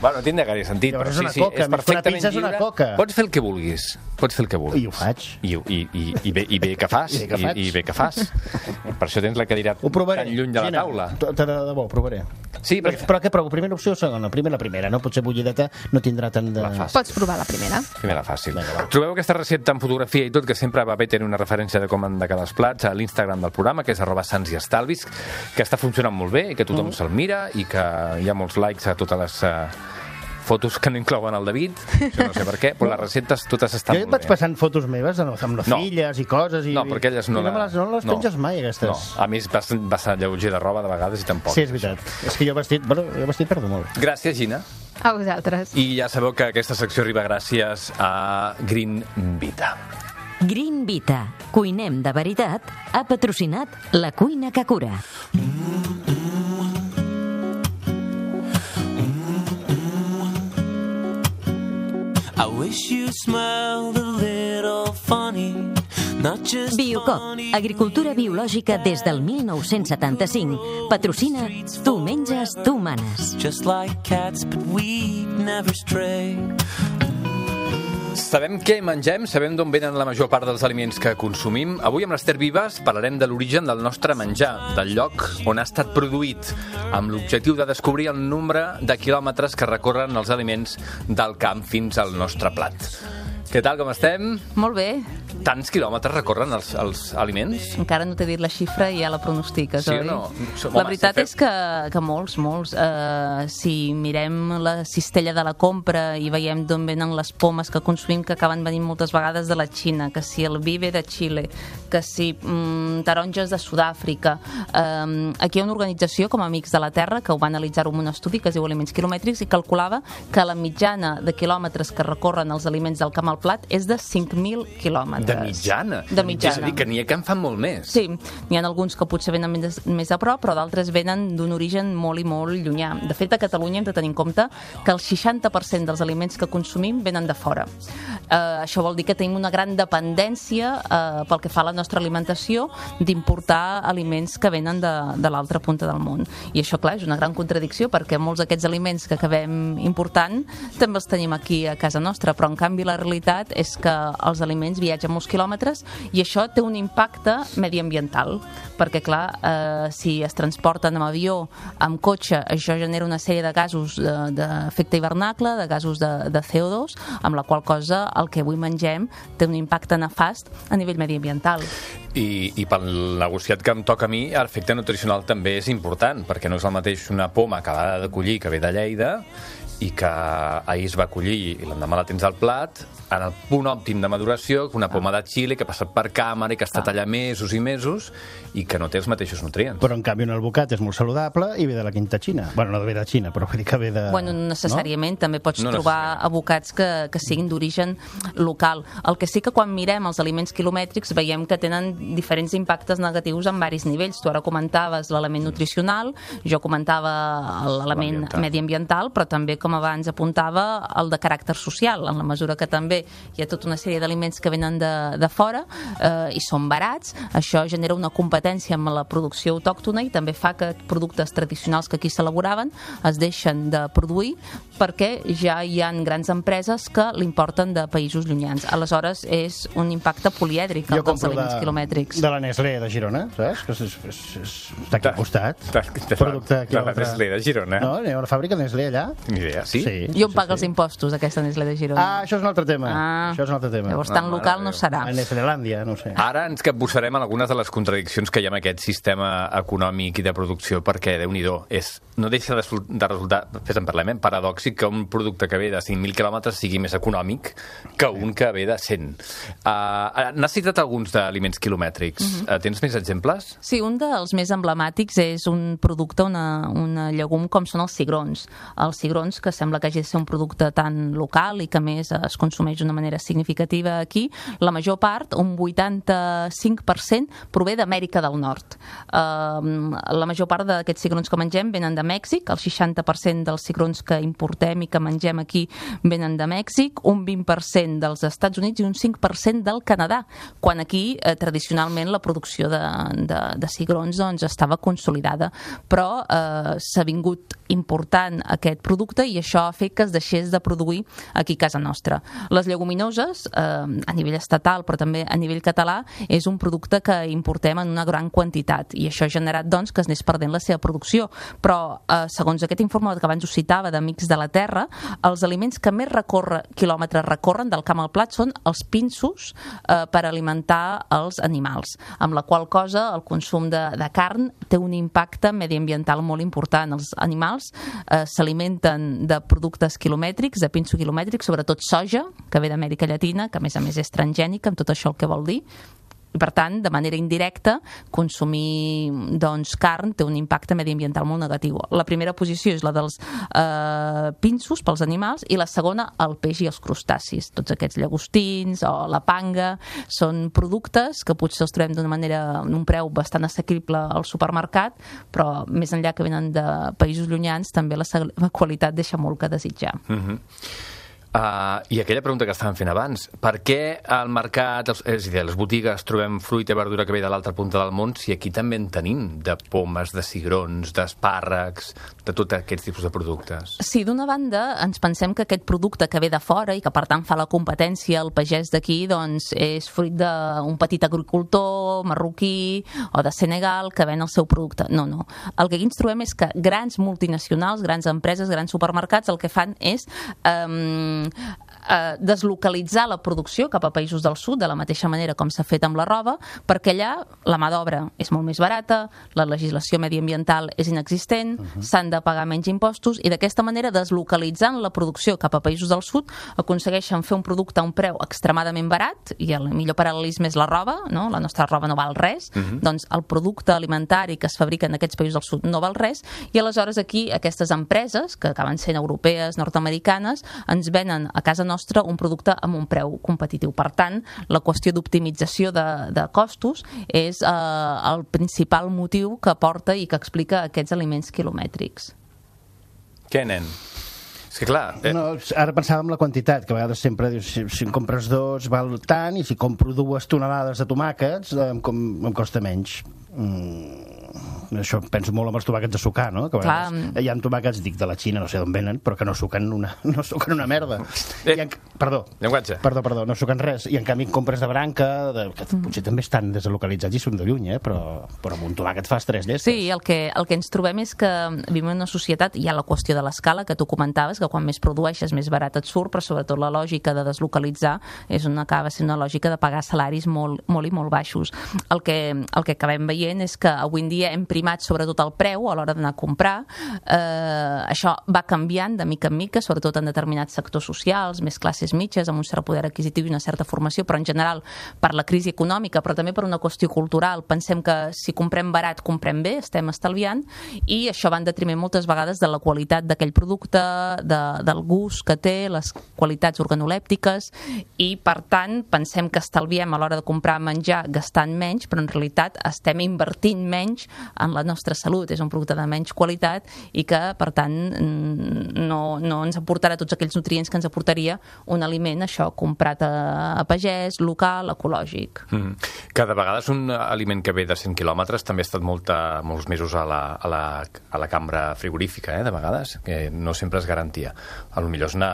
Bueno, tindrà gaire sentit. Llavors però és una coca, més que una pizza és una coca. Pots fer el que vulguis. I ho faig. I bé que fas. I bé que fas. Per això tens la cadira tan lluny de la taula. De debò, ho provaré. Sí, perquè... Però què provo? Primera opció o segona? La primera, no? Potser bullideta no tindrà tant de... Pots provar la primera. Primera fàcil. Trobeu aquesta recepta en fotografia i tot, que sempre va bé tenir una referència de com han de quedar els plats, a l'Instagram del programa, que és @sansIestalvis, que està funcionant molt bé i que tothom se'l mira i que hi ha molts likes a totes les fotos que no inclouen el David, això no sé per què, però les receptes totes estan molt bé. Jo et vaig passant fotos meves amb les filles i coses... No, perquè elles no les penges mai, aquestes. No, a mi vas a lleuger de roba de vegades i tampoc. Sí, és veritat. És que jo el vestit perdo molt. Gràcies, Gina. A vosaltres. I ja sabeu que aquesta secció arriba gràcies a Green Vita. Green Vita, cuinem de veritat, ha patrocinat La Cuina que Cura. Biocop, agricultura biològica des del 1975. Patrocina Tu menges, tu manes. Sabem què mengem, sabem d'on venen la major part dels aliments que consumim. Avui amb l'Ester Vives parlarem de l'origen del nostre menjar, del lloc on ha estat produït, amb l'objectiu de descobrir el nombre de quilòmetres que recorren els aliments del camp fins al nostre plat. Què tal, com estem? Molt bé. Tants quilòmetres recorren els aliments? Encara no t'he dit la xifra i ja la pronostiques, sí oi? Sí o no? La veritat és que molts. Si mirem la cistella de la compra i veiem d'on venen les pomes que consumim, que acaben venint moltes vegades de la Xina, que si el vi ve de Xile, que si taronges de Sud-àfrica. Aquí hi ha una organització com Amics de la Terra que ho va analitzar-ho en un estudi que es diu Aliments Quilomètrics i calculava que la mitjana de quilòmetres que recorren els aliments del camp al al plat és de 5.000 quilòmetres. De mitjana? De mitjana. És a dir, que n'hi ha que en fan molt més. Sí, n'hi ha alguns que potser venen més a prop, però d'altres venen d'un origen molt i molt llunyà. De fet, a Catalunya hem de tenir en compte que el 60% dels aliments que consumim venen de fora. Això vol dir que tenim una gran dependència pel que fa a la nostra alimentació d'importar aliments que venen de l'altra punta del món. I això, clar, és una gran contradicció perquè molts d'aquests aliments que acabem important també els tenim aquí a casa nostra, però en canvi la realitat és que els aliments viatgen molts quilòmetres i això té un impacte mediambiental, perquè clar, si es transporten amb avió, amb cotxe, això genera una sèrie de gasos d'efecte hivernacle, de gasos de CO2, amb la qual cosa el que avui mengem té un impacte nefast a nivell mediambiental. I pel negociat que em toca a mi, l'efecte nutricional també és important, perquè no és el mateix una poma acabada de collir que ve de Lleida i que ahir es va collir i l'endemà la tens al plat, en el punt òptim de maduració, una poma de Xile que ha passat per càmera i que ha estat allà mesos i mesos i que no té els mateixos nutrients. Però en canvi un albocat és molt saludable i ve de la quinta Xina. Bueno, no ve de Xina, però vull dir que ve de... Bueno, necessàriament, no? També pots trobar abocats que siguin d'origen local. El que sí que quan mirem els aliments quilomètrics veiem que tenen diferents impactes negatius en varis nivells. Tu ara comentaves l'element nutricional, jo comentava l'element mediambiental, però també, com abans apuntava, el de caràcter social, en la mesura que també hi ha tota una sèrie d'aliments que venen de fora i són barats. Això genera una competència amb la producció autòctona i també fa que productes tradicionals que aquí s'elaboraven es deixen de produir perquè ja hi ha grans empreses que l'importen de països llunyans. Aleshores, és un impacte polièdric dels aliments quilomètrics. De la Nestlé de Girona, saps? Que està aquí al costat. Producte aquí a l'altre. La Nestlé de Girona? No, hi ha una fàbrica de Nestlé allà. Ni idea, sí? I on paga els impostos, aquesta Nestlé de Girona? Això és un altre tema. Això és un altre tema. Llavors, tan local no serà. A Nestlélàndia, no sé. Ara ens capbussarem en algunes de les contradiccions que hi ha en aquest sistema econòmic i de producció, perquè, Déu-n'hi-do, no deixa de resultar, fes en parlem, paradòxic que un producte que ve de 5.000 quilòmetres sigui més econòmic que un que ve de 100. N'has citat alguns d'aliments quilomètrics. Tens més exemples? Sí, un dels més emblemàtics és un producte, un llegum com són els cigrons. Els cigrons, que sembla que hagi de ser un producte tan local i que més es consumeix d'una manera significativa aquí, la major part, un 85%, prové d'Amèrica del Nord. La major part d'aquests cigrons que mengem venen de Mèxic, el 60% dels cigrons que importem i que mengem aquí venen de Mèxic, un 20% dels Estats Units i un 5% del Canadà, quan aquí tradicionalment la producció de cigrons doncs, estava consolidada. Però s'ha vingut important aquest producte i això ha fet que es deixés de produir aquí a casa nostra. Les lleguminoses, a nivell estatal però també a nivell català, és un producte que importem en una gran quantitat i això ha generat doncs, que es anés perdent la seva producció. Però segons aquest informe que abans us citava d'Amics de la Terra, els aliments que més quilòmetres recorren del camp al plat són els pinsos per alimentar els animals, amb la qual cosa el consum de carn té un impacte mediambiental molt important. Els animals s'alimenten de productes quilomètrics, de pinso quilomètrics, sobretot soja, que ve d'Amèrica Llatina, que a més és transgènica, amb tot això el que vol dir. I, per tant, de manera indirecta, consumir carn té un impacte mediambiental molt negatiu. La primera posició és la dels pinsos pels animals i la segona el peix i els crustacis. Tots aquests llagostins o la panga són productes que potser els trobem d'un preu bastant assequible al supermercat, però més enllà que venen de països llunyans també la qualitat deixa molt que desitjar. I aquella pregunta que estàvem fent abans, per què al mercat, és a dir, a les botigues trobem fruita i verdura que ve de l'altra punta del món si aquí també en tenim de pomes, de cigrons, d'espàrrecs, de tots aquests tipus de productes? Sí, d'una banda ens pensem que aquest producte que ve de fora i que per tant fa la competència al pagès d'aquí doncs és fruit d'un petit agricultor marroquí o de Senegal que ven el seu producte. No. El que aquí ens trobem és que grans multinacionals, grans empreses, grans supermercats el que fan és deslocalitzar la producció cap a països del sud, de la mateixa manera com s'ha fet amb la roba, perquè allà la mà d'obra és molt més barata, la legislació mediambiental és inexistent, s'han de pagar menys impostos i d'aquesta manera, deslocalitzant la producció cap a països del sud, aconsegueixen fer un producte a un preu extremadament barat, i el millor paral·lelisme és la roba, no? La nostra roba no val res, doncs el producte alimentari que es fabrica en aquests països del sud no val res, i aleshores aquí aquestes empreses, que acaben sent europees, nord-americanes, ens venen a casa nostra nostre un producte amb un preu competitiu. Per tant, la qüestió d'optimització de costos és el principal motiu que porta i que explica aquests aliments quilomètrics. Què, nen? És que clar... No, ara pensava en la quantitat, que a vegades sempre dius, si en compres 2 val tant, i si compro 2 tonelades de tomàquets em costa menys. Això penso molt amb els tomàquets de sucar, no? Que a vegades hi ha tomàquets, dic, de la Xina, no sé d'on venen, però que no suquen una merda. Perdó, no suquen res. I en canvi compres de branca, que potser també estan deslocalitzats i són de lluny, però amb un tomàquet fas 3 llestes. Sí, el que ens trobem és que vivim en una societat, hi ha la qüestió de l'escala que tu comentaves, que quan més produeixes més barat et surt, però sobretot la lògica de deslocalitzar acaba sent una lògica de pagar salaris molt i molt baixos. El que acabem veient és que avui en dia hem primat sobretot el preu a l'hora d'anar a comprar. Això va canviant de mica en mica, sobretot en determinats sectors socials, més classes mitges, amb un cert poder adquisitiu i una certa formació, però en general per la crisi econòmica, però també per una qüestió cultural. Pensem que si comprem barat, comprem bé, estem estalviant, i això va en detriment moltes vegades de la qualitat d'aquell producte, del gust que té, les qualitats organolèptiques, i per tant pensem que estalviem a l'hora de comprar menjar gastant menys, però en realitat estem invertint menys en la nostra salut. És un producte de menys qualitat i que, per tant, no ens aportarà tots aquells nutrients que ens aportaria un aliment, això, comprat a pagès, local, ecològic. Que de vegades un aliment que ve de 100 quilòmetres també ha estat molts mesos a la cambra frigorífica, de vegades, que no sempre és garantia. A lo millor és anar...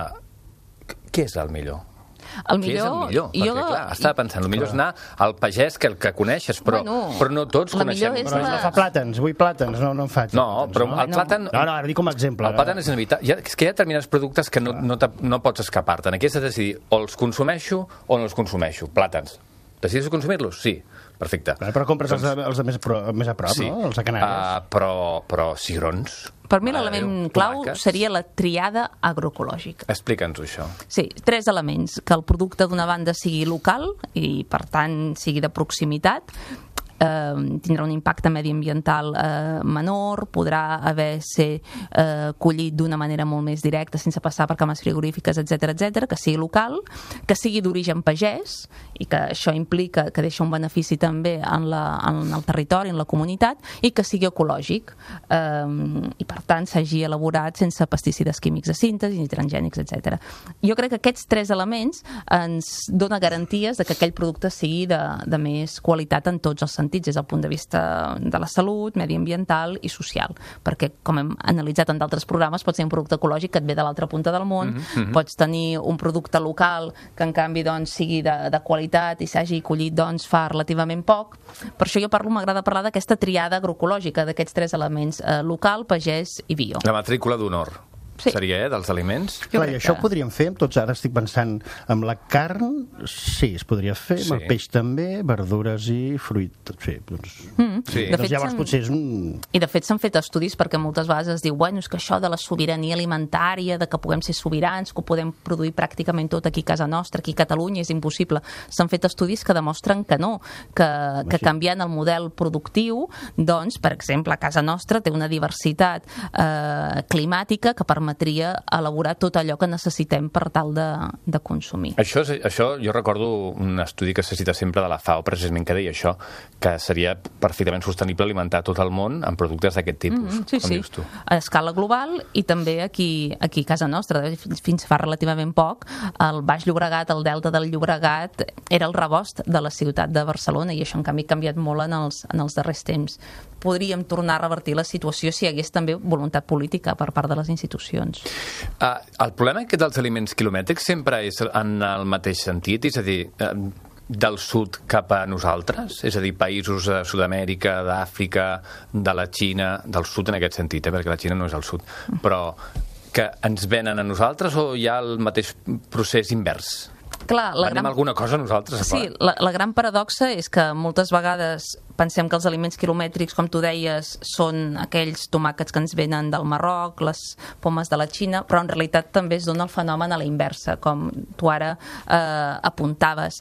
Què és el millor? Què és el millor? Perquè, clar, estava pensant, el millor és anar al pagès que el que coneixes, però no tots coneixem. Però no fa plàtans, vull plàtans, no en faig. No, però el plàtan... No, ara dic com a exemple. El plàtan és inevitable. És que hi ha determinats productes que no pots escapar-te'n. Aquí has de decidir o els consumeixo o no els consumeixo. Plàtans. Decideixes consumir-los? Sí. Perfecte. Però compres els de més a prop, no? Els de Canàries. Però cigrons... Per mi l'element clau seria la triada agroecològica. Explica'ns-ho, això. Sí, 3 elements. Que el producte d'una banda sigui local i, per tant, sigui de proximitat, tindrà un impacte mediambiental menor, podrà ser collit d'una manera molt més directa sense passar per cames frigorífiques, etc, que sigui local, que sigui d'origen pagès i que això implica que deixa un benefici també en el territori, en la comunitat, i que sigui ecològic i per tant s'hagi elaborat sense pesticides químics de síntesi, ni transgènics, etc. Jo crec que aquests 3 elements ens dona garanties de que aquell producte sigui de més qualitat en tots els sentits, des del punt de vista de la salut, mediambiental i social, perquè, com hem analitzat en d'altres programes, pots tenir un producte ecològic que et ve de l'altra punta del món, pots tenir un producte local que en canvi sigui de qualitat i s'hagi collit fa relativament poc. Per això m'agrada parlar d'aquesta triada agroecològica, d'aquests 3 elements, local, pagès i bio. La matrícula d'honor. Seria, dels aliments? Clar, i això ho podríem fer amb tots. Ara estic pensant amb la carn, sí, es podria fer, amb el peix també, verdures i fruit, tot fer. Doncs llavors potser és un... I de fet s'han fet estudis perquè moltes vegades es diu, bueno, és que això de la sobirania alimentària, de que puguem ser sobirans, que ho podem produir pràcticament tot aquí a casa nostra, aquí a Catalunya, és impossible. S'han fet estudis que demostren que no, que canviant el model productiu, doncs, per exemple, a casa nostra té una diversitat climàtica que permetria elaborar tot allò que necessitem per tal de consumir. Això jo recordo un estudi que se cita sempre de la FAO, precisament, que deia això, que seria perfectament sostenible alimentar tot el món amb productes d'aquest tipus. Dius tu? A escala global i també aquí a casa nostra. Fins fa relativament poc, el Baix Llobregat, el Delta del Llobregat, era el rebost de la ciutat de Barcelona, i això en canvi ha canviat molt en els darrers temps. Podríem tornar a revertir la situació si hi hagués també voluntat política per part de les institucions. El problema aquest dels aliments quilomètrics sempre és en el mateix sentit, és a dir, del sud cap a nosaltres, és a dir, països de Sud-amèrica, d'Àfrica, de la Xina, del sud en aquest sentit, perquè la Xina no és al sud, però que ens venen a nosaltres o hi ha el mateix procés invers? Clar, venem alguna cosa nosaltres? Sí, la gran paradoxa és que moltes vegades pensem que els aliments quilomètrics, com tu deies, són aquells tomàquets que ens venen del Marroc, les pomes de la Xina, però en realitat també es dona el fenomen a la inversa, com tu ara apuntaves.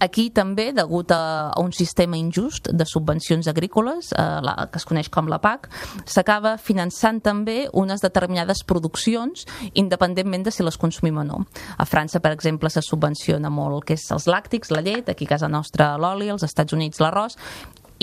Aquí també, degut a un sistema injust de subvencions agrícoles, que es coneix com la PAC, s'acaba finançant també unes determinades produccions independentment de si les consumim o no. A França, per exemple, se subvenciona molt el que és els làctics, la llet, aquí a casa nostra l'oli, als Estats Units l'arròs,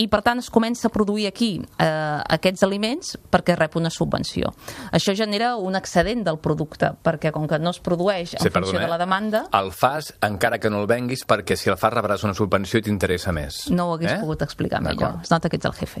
i per tant es comença a produir aquí aquests aliments perquè rep una subvenció. Això genera un excedent del producte, perquè com que no es produeix en funció de la demanda... El fas encara que no el venguis, perquè si el fas rebràs una subvenció i t'interessa més. No ho hagués pogut explicar millor. Es nota que ets el jefe.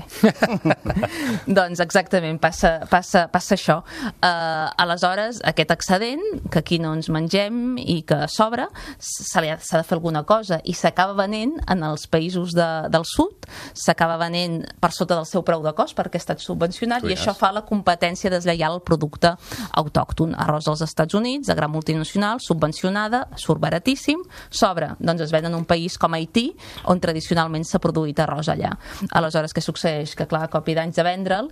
Doncs exactament, passa això. Aleshores, aquest excedent, que aquí no ens mengem i que sobra, s'ha de fer alguna cosa, i s'acaba venent en els països del sud, s'acaba venent per sota del seu preu de cost perquè ha estat subvencionat i això fa la competència deslleial al producte autòcton. Arròs als Estats Units, de gran multinacional, subvencionada, surt baratíssim, sobra, doncs es ven en un país com Haití, on tradicionalment s'ha produït arròs allà. Aleshores, què succeeix? Que clar, a cop i d'anys de vendre'l,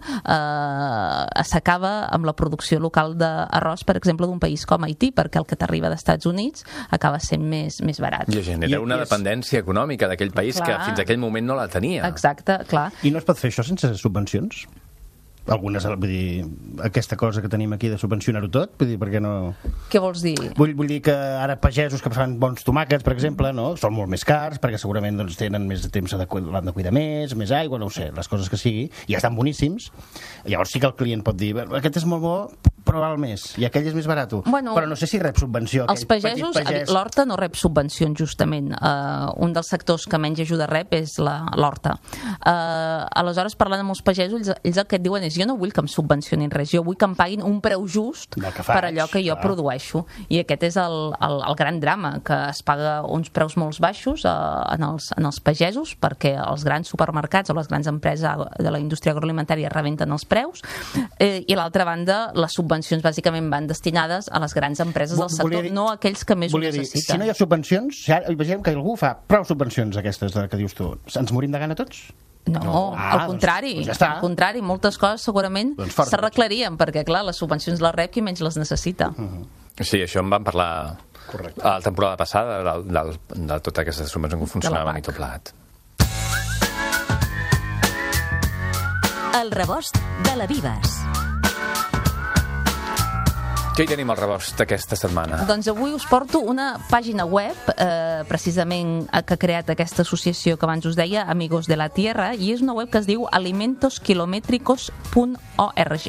s'acaba amb la producció local d'arròs, per exemple, d'un país com Haití, perquè el que t'arriba dels Estats Units acaba sent més barat. I genera una dependència econòmica d'aquell país que fins aquell moment no la tenia. Exacte, clar. I no es pot fer això sense subvencions? Algunes, vull dir, aquesta cosa que tenim aquí de subvencionar-ho tot, vull dir, per què no... Què vols dir? Vull dir que ara pagesos que fan bons tomàquets, per exemple, no? Són molt més cars, perquè segurament doncs, tenen més temps, l'han de cuidar més aigua, no ho sé, les coses que sigui, i ja estan boníssims. Llavors sí que el client pot dir, aquest és molt bo, però val més, i aquell és més barat. Bueno, però no sé si rep subvenció. Els pagesos, l'horta no rep subvencions, justament. Un dels sectors que menys ajuda rep és l'horta. Aleshores, parlant amb els pagesos, ells el que et diuen és jo no vull que em subvencionin res, jo vull que em paguin un preu just per allò que jo produeixo. I aquest és el gran drama, que es paga uns preus molt baixos en els pagesos, perquè els grans supermercats o les grans empreses de la indústria agroalimentària rebenten els preus, i a l'altra banda, les subvencions bàsicament van destinades a les grans empreses del sector, no a aquells que més ho necessiten. Si no hi ha subvencions, imaginem que algú fa prou subvencions aquestes que dius tu, ens morim de gana tots? No, al contrari, doncs ja està. Al contrari, moltes coses segurament s'arreglarien, perquè clar, les subvencions les rep qui menys les necessita. Sí, això en vam parlar a la temporada passada de totes aquestes subvencions que funcionaven i tot plegat. El rebost de la Vives. Què hi tenim al rebost d'aquesta setmana? Doncs avui us porto una pàgina web, precisament que ha creat aquesta associació que abans us deia, Amigos de la Tierra, i és una web que es diu alimentoskilométricos.org.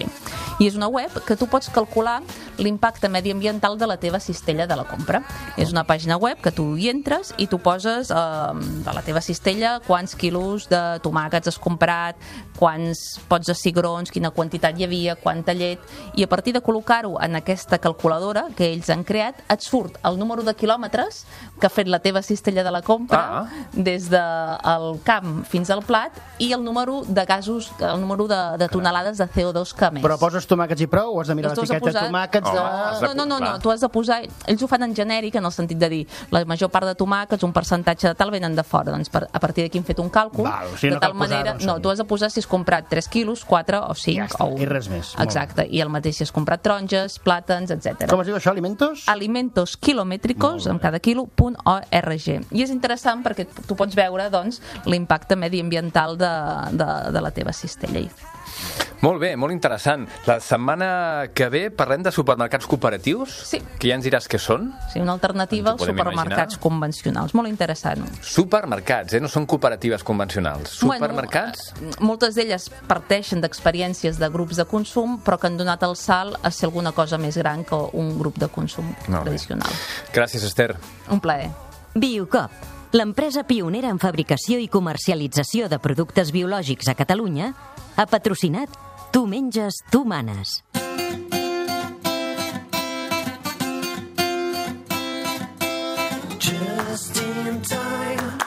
I és una web que tu pots calcular l'impacte mediambiental de la teva cistella de la compra. És una pàgina web que tu hi entres i tu poses de la teva cistella quants quilos de tomàquets has comprat, quants pots de cigrons, quina quantitat hi havia, quanta llet, i a partir de col·locar-ho en aquesta calculadora que ells han creat, et surt el número de quilòmetres que ha fet la teva cistella de la compra des del camp fins al plat i el número de gasos, el número de tonelades de CO2 que ha emès. Però poses tomàquets i prou o has de mirar l'etiqueta de tomàquets? No, tu has de posar... Ells ho fan en genèric, en el sentit de dir la major part de tomàquets, un percentatge de tal, venen de fora. Doncs a partir d'aquí hem fet un càlcul, de tal manera... No, tu has de posar si has comprat 3 quilos, 4 o 5 o 1. I res més. Exacte, i el mateix si has comprat taronges, plàtans, etc. Com es diu això, alimentos? Alimentoskilométricos, amb cada quilo.org. I és interessant perquè tu pots veure doncs, l'impacte mediambiental de la teva cistella. Molt bé, molt interessant. La setmana que ve parlem de supermercats cooperatius? Sí. Que ja ens diràs què són? Sí, una alternativa als supermercats convencionals. Molt interessant. Supermercats, no són cooperatives convencionals. Supermercats? Moltes d'elles parteixen d'experiències de grups de consum, però que han donat el salt a ser alguna cosa més gran que un grup de consum tradicional. Gràcies, Esther. Un plaer. Biocop, l'empresa pionera en fabricació i comercialització de productes biològics a Catalunya, ha patrocinat Tu menges, tu manes. Just in time,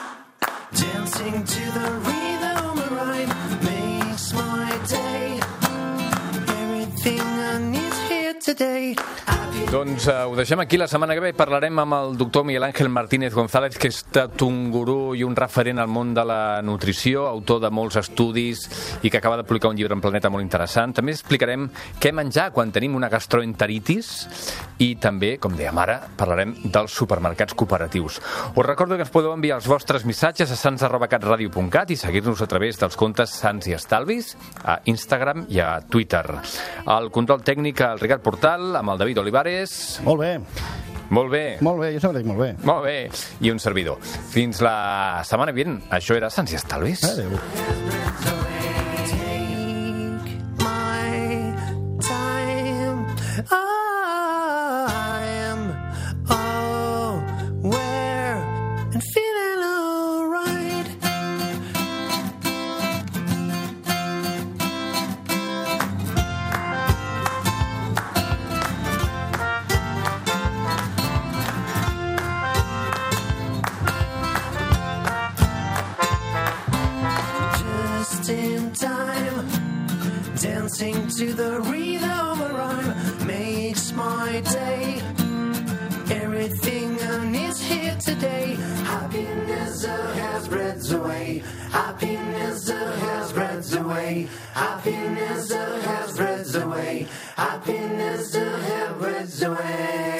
dancing to the rhythm of rhyme makes my day. Everything I need here today. today. Doncs ho deixem aquí. La setmana que ve parlarem amb el doctor Miguel Ángel Martínez González, que és tot un gurú i un referent al món de la nutrició, autor de molts estudis i que acaba de publicar un llibre en Planeta molt interessant. També explicarem què menjar quan tenim una gastroenteritis i també, com dèiem ara, parlarem dels supermercats cooperatius. Us recordo que ens podeu enviar els vostres missatges a sans@catradio.cat i seguir-nos a través dels comptes Sants i Estalvis a Instagram i a Twitter. El control tècnic al Ricard Portal, amb el David Olivares. Molt bé. Molt bé. Molt bé, jo sempre dic molt bé. Molt bé. I un servidor. Fins la setmana vinent. Això era Sants i Estalvis. Adéu. Dancing to the rhythm of a rhyme makes my day. Everything I need here today. Happiness has spreads away. Happiness has spreads away. Happiness has spreads away. Happiness has spreads away.